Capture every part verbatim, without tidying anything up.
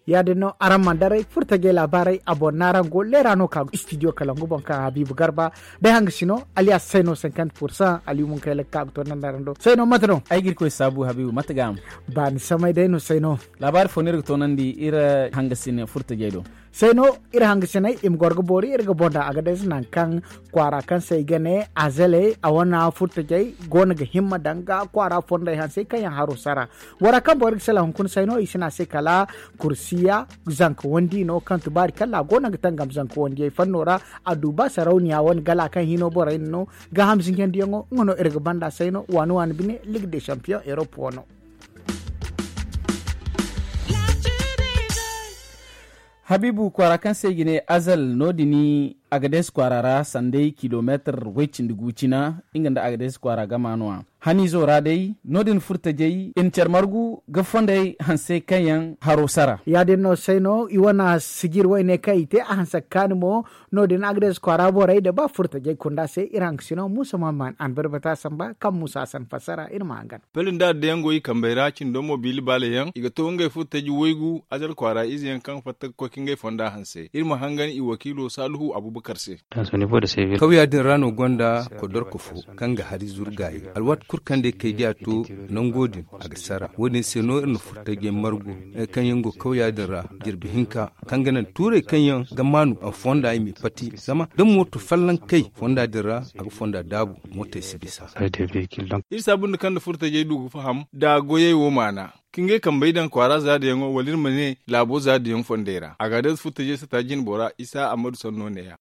Ya- din no araŋ mana daray furtajey laabaarey a boŋ no araŋ go leera no ka istidiyo kalangu boŋ kaŋ habiibu garba day hanga sino aliyas sayno sinkant pursan aliyu munkay lakka ga to naŋ araŋ do sayno mate no? Ay ga irkoy saabu habiibu mate ga a ma baani samay day no sayno. Laabaari fo no iri ga toonandi iri hanga sine furtajey do. Sayno iri hanga sinay i ma goro ga boori iri ga boŋ da agades nangu kaŋ kwaara kaŋ se i ga ne azaley a wane furtajey go no ga himma danga kwaara fondey hansey kaŋ yaŋ haro sara. Bora kaŋ boro ga sala hunkuna sayno i si ne a se kala kursiya zanka wandi no kaŋ tubaari kalla a go no ga tangam zanka wandiyey fanno ra. A du ba sarauniya wane gala kaŋ hino borey no ga hamzinjandiyaŋo nga no iri ga banda sayno waani waani bine ligue de champion europe wano. Habiibu kwaara kaŋ se i ga ne azal no- din agades kwaara ra sanday kilomeetar way cindi gu cina nga nda agades kwaara gama no- ya haniizo ra day no- din furtajey i na care margu ga fondey hanse kaŋ yaŋ haro sara. Ya- din no sayno i wane sijir wayne kaŋ i te a hanse ga kaani mo. No- din agades kwaara borey da ba furtajey kunda se iri hangasino muusa maman a na barbata samba kaŋ muusa a san fassara iri ma hangan. Pelin da addayaŋ go i kambey ra cindo mo biili baale yaŋ i ga to ngey furtaji waygu azal kwaara ize yaŋ kaŋ fatta ga koy ka ngey fonda hanse iri ma hangan i wakiilo saaluhu abubakar se. Kawya din ra no gonda kodorko fo kaŋ ga hari zuru gaayi alwaati kulu kaŋ day kay diya to nango din a ga sara wo- din se no iri na furtajey margu kaŋ yaŋ go kawya din ra jirbi hinka kaŋ ga naŋ tuurey kaŋ yaŋ ga maanu a fonda i m'i pati zama da mooto folloŋ kay fonda din ra a ga fonda daabu mootey si bisa. Iri saabu nda kaŋ nda furtajey du ga faham da goyey wo maana ka ngey kambey daŋ kwaara zaadiyaŋo wala iri ma ne laabo zaadiyaŋ fondey ra a ga day furtajey sata jinbo ra isa ammadu sanno neeya.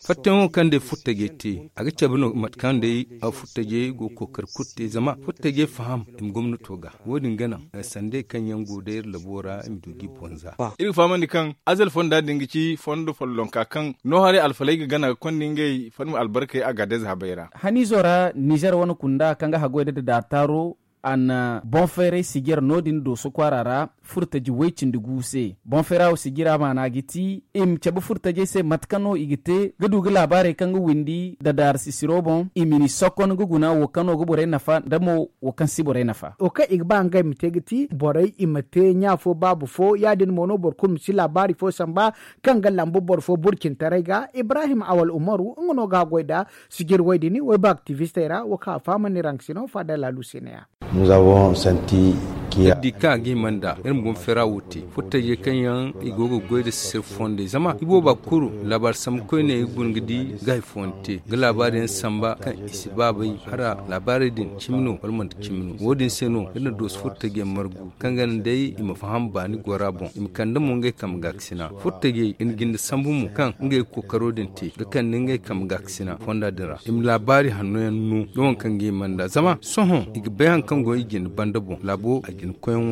Fattayaŋo kaŋ day furtajey te a ga cabe no mate kaŋ day furtajey go ga kookari kulu te zama furtajey faham i ma gomnato ga wo- din ga naŋ sandey kaŋ yaŋ go day iri labo ra i ma du g'i bonza. Iri ga fahamandi kaŋ azal fonda din ga ci fondo follonka kaŋ no haray alfaley ga gana ga konda ngey fadma albarkey a ga day zahabey ra. Haniizo ra nizer wane kunda kaŋ ga haggoy da dadaataaro a na boŋ fayray sijir no- din dooso kwaara ra furtaji way cindi gu se boŋ fayra wo sijira maana ga ti i ma cabe furtajey se mate kaŋ no i ga te ga du ga laabaarey kaŋ ga windi dadaara sisiro boŋ i ma ni sokon ga guna wo kaŋ no ga borey nafa nda mo wo kaŋ si borey nafa. Wo kaŋ i ga ba ngey ma te ga ti borey i ma te ɲa fo baaba fo ya- din mo no boro kulu ma si laabaari fo samba kaŋ ga lambu boro fo burcintaray ga ibrahim awal umaru nga no ga a goy nda sijir way din wayba aktivistey ra wo kaŋ a fahamandi raŋ sino faada laalu se ne- ya. Iri di kaŋ a ga hima nd'a iri ma boŋ feera wo te furtajey kaŋ yaŋ i go ga goy nda sisir fondey zama i booba kulu laabaari sambu koyne i guna ga di ga hari fooyaŋ te ga laabaari yaŋ samba kaŋ i si ba bay hala laabaarey din cimi no wala manti cimi no wo- din se no iri na dooso furtajey margu kaŋ ga naŋ day i ma faham baani gora boŋ i ma kande mo ngey kambe gaakasina furtajey i na jinde sambu mo kaŋ ngey ga kookaro din te ga kande ngey kambe gaakasina fonda din ra i ma laabaari hanno yaŋ no da waŋ kaŋ ga hima nd'a zama sohõ i ga bay hari kaŋ go i jine banda boŋ laabo a jine koyyaŋo.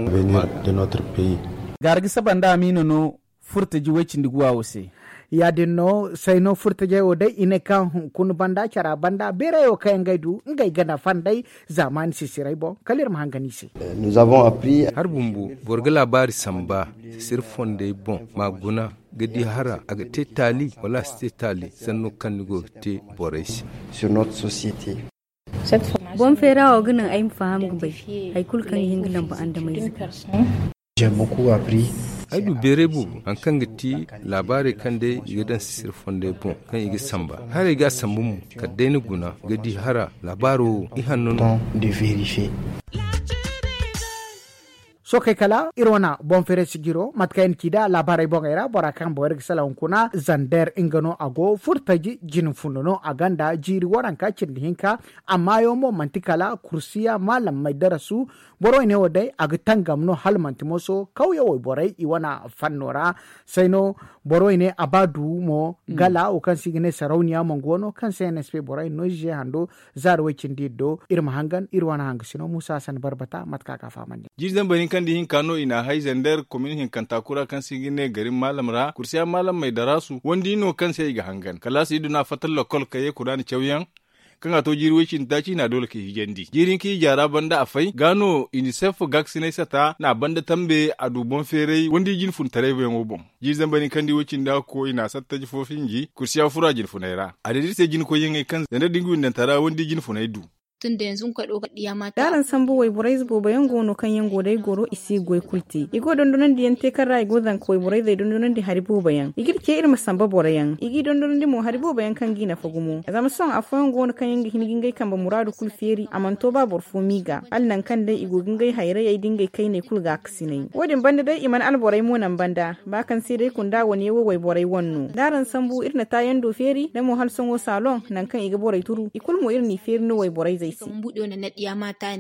Gaara ga saba nda amiina no furtaji way cindi guwa wo se. Ya- din no sayno furtajey wo day i ne kaŋ hunkuna banda cara banda beerey wo kaŋ yaŋ ga ay du ngey ga nafa nd'ey zaamaani sisirey boŋ kala iri ma hangan i se. Hari bumbo boro ga laabaari samba sisir fondey boŋ ma guna ga di hara a ga te taali wala a si te taali sanno kaŋ ni go ga te borey se. Boŋ feera wo ga naŋ ay ma faham ga bay hari kulu kaŋ ga hin ga lambu andameyze. Ay du beeray boobo hari kaŋ ga ti laabaarey kaŋ day i ga daŋ sisir fondey boŋ kaŋ i ga samba haray ga a sambu mo kala day ni guna ga di hara laabaaro wo i hanno no. Sookey kala iri wane boŋ feeray sijiro mate kaŋ ay na ci nd'a laabaarey boŋey ra bora kaŋ boŋ iri ga salaŋ hunkuna zander nga no a go furtaji jine funda no a gonda jiiri waranka cindi hinka. Amma yaŋ mo manti kala kursiya maalam may darasu. Borey ne wo day a ga tangam no hala manti moso kawya wayborey i wane fanno ra. Sayno borey ne a ba du mo gala wo kaŋ se i ga ne sarauniya mangu wano kaŋ se nsp borey no ize hando zaari way cindi iri do iri ma hangan iri wane hangasino muusa hasan barbata mate kaŋ a ga a fahamandi. Jiiri zambar hinka nda ihinka no i n'a hay zander komin hinkanta kura kaŋ se i ga ne garin maalam ra kursiya maalam may darasu wandi no kaŋ se i ga hangan kalaasi i du no a fatta lokol ka ye kuraani cawyaŋ. Kaŋ a to jiiri way cindi taaci i n'a doole ka hijandi jiiri hinka ija ra banda a fay ga no inisef gaakasinay sata n'a banda tambe a du boŋ feeray wandi jinfuntaray boyaŋo boŋ. Jiiri zambar hinka nda way cindi hakko i n'a sattaji fo finji kursiya fura jinfunay ra a day da iri se jinkoyyaŋey kaŋ zander da nga windanta ra wandi jinfunay du. Tun da yanzu nga koy do ga diya ma ta. Daran sambu wayborayze boobo yaŋ go no kaŋ yaŋ go day goro i si ga goy kulu te i go dondonandi yaŋ te kaŋ ra i go zanka wayborayzey dondonandi hari boobo yaŋ i ga iri ce iri ma samba boro yaŋ i g'i dondonandi mo hari boobo yaŋ kaŋ g'i nafa gumo zama sohõ afooyaŋ go no kaŋ yaŋ ga hin ga ngey kambe muraadu kulu feeri a mana to ba boro fo m'i ga hala nangu kaŋ day i go ga ngey hayrayey da ngey kayney kulu ga akasinay wo- din banda day i mana alborey mo naŋ banda ba kaŋ se day kunda wane wo wayborey wane no da araŋ sambu iri na taayando feeri da mo hala sohõ saloŋ nangu kaŋ i ga borey turu i kulu mo iri n'i feeri no wayborayzey se.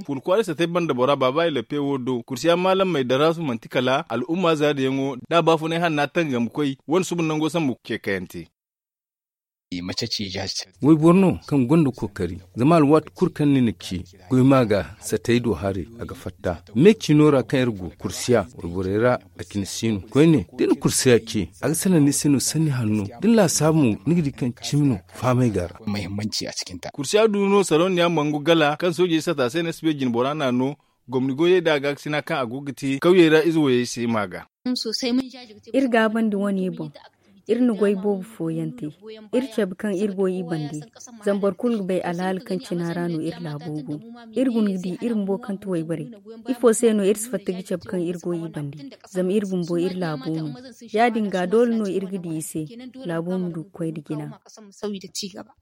Purkwaaray satay banda bora baaba i lappe wo do kursiya maalamey daraasu manti kala al'umma zaariyaŋo da baafunay hanna tangam koy wane suba nango sambu ce kayante. Wayboro no kaŋ gonda kookari zama alwaati kulu kaŋ ni na ci goy ma ga satay do haray a ga fatta me ciino ra kaŋ iri go kursiya wayborey ra a cine si no koyne da ni kursiya ce a ga salaŋ ni se no sanni hanno da ni laasaabu mo ni ga di kaŋ cimi no fahamay ga ra. Kursiya du no sarauniya mangu gala kaŋ soojey sata se ne si bay jinbora n'a no gomni goyey da a ga ga sina kaŋ a go ga te kawyey ra ize wayey se ma ga. Iri gaabandi wane boŋ iri na goy boobo fooyaŋ te iri cabe kaŋ iri goy i bande zama boro kulu ga bay alhaali kaŋ cina ra no iri laabo go iri guna ga di iri bumbo kaŋ ti wayborey ifo se no iri si fatta ga cabe kaŋ iri goy i bande zama iri bumbo iri laabo no ya- din ga doole no iri ga di i se laabo ma du ga koy nda jina.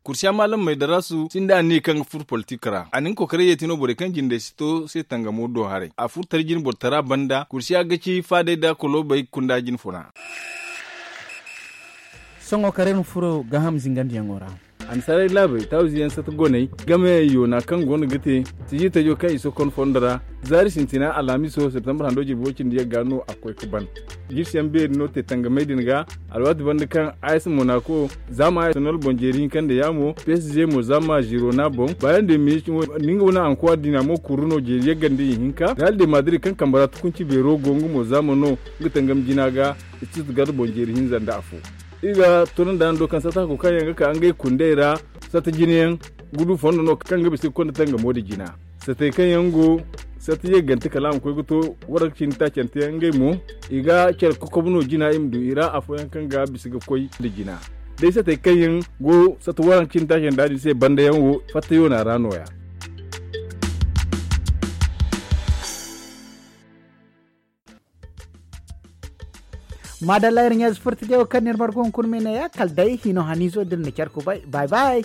Kursiya maalamey daraasu sinda anniya kaŋ ga furo politik ra a na nga kokoray yeeti no borey kaŋ jindey si to se tangamo do haray a furo tara jinborotara banda kursiya ga ci faadey da koloobey kunda jine funa. Sohõ kar iri ma furo gaaham zingandiyaŋo ra. Annasaarey laabey taawize yaŋ sata goney game yoona kaŋ go no ga te sijitajo kaŋ i sokon fondo ra zaari sintina alhamiso septembre hando jirbi way cindi yagga no a koy ga ban. Jirsiyaŋ beeri no te tangamey din ga alwaati banda kaŋ a s monako zaama a s nol boŋ jeeri hinka nda yaamo psg mo zaama zirona boŋ bayan de minit. Nga wane ankuwa diina mo kuru no jeeri yagga nda ihinka real de madrid kaŋ kambe ra tukunci beero go nga mo zaama no nga tangam jina ga. Stuttgart boŋ jeeri hinza nda afo. Iri ga tunandayaŋ do kaŋ sata hako kaŋ yaŋ ga ka ngey kundey ra sata jinayaŋ ga du fondo no kaŋ ga bisa ga konda tangamo da jina. Satey kaŋ yaŋ go sata yeggante kala a ma koy ga to waranka cindi taacanteyaŋ ngey mo i ga care kokobo no jina i ma du i ra afooyaŋ kaŋ ga bisa ga koy nda jina. Day satey kaŋ yaŋ go sata waranka cindi taacanteyaŋ da din se bandayaŋ wo fattayo no a ra nooya. Maadalla iri ɲaazi furta diyaw kaŋ ni iri margu hunkuna ma i ne ya kala day hino haniizo da iri na care kubay bay bay.